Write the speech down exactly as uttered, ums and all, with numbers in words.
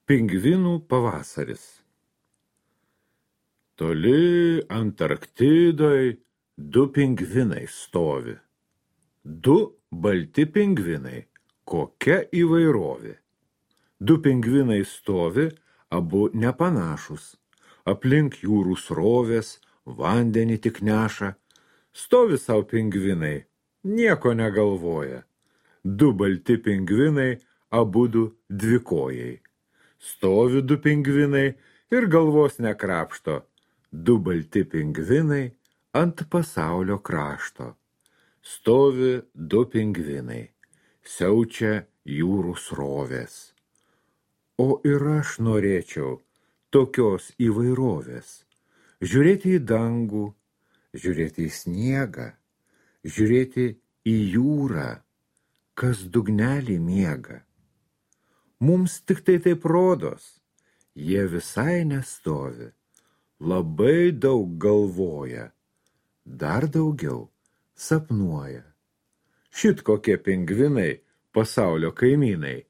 Pingvinų pavasaris. Toli Antarktidoj du pingvinai stovi. Du balti pingvinai, kokia įvairovė. Du pingvinai stovi, abu nepanašus. Aplink jūrų srovės, vandenį tik neša. Stovi sau pingvinai, nieko negalvoja. Du balti pingvinai, abudu dvikojai. Stovi du pingvinai ir galvos nekrapšto. Du balti pingvinai ant pasaulio krašto. Stovi du pingvinai, siaučia jūrų srovės. O ir aš norėčiau tokios įvairovės. Žiūrėti į dangų, žiūrėti į sniegą, žiūrėti į jūrą, kas dugnelį miega. Mums tik tai taip rodos, jie visai nestovi, labai daug galvoja, dar daugiau sapnuoja. Šit kokie pingvinai pasaulio kaimynai.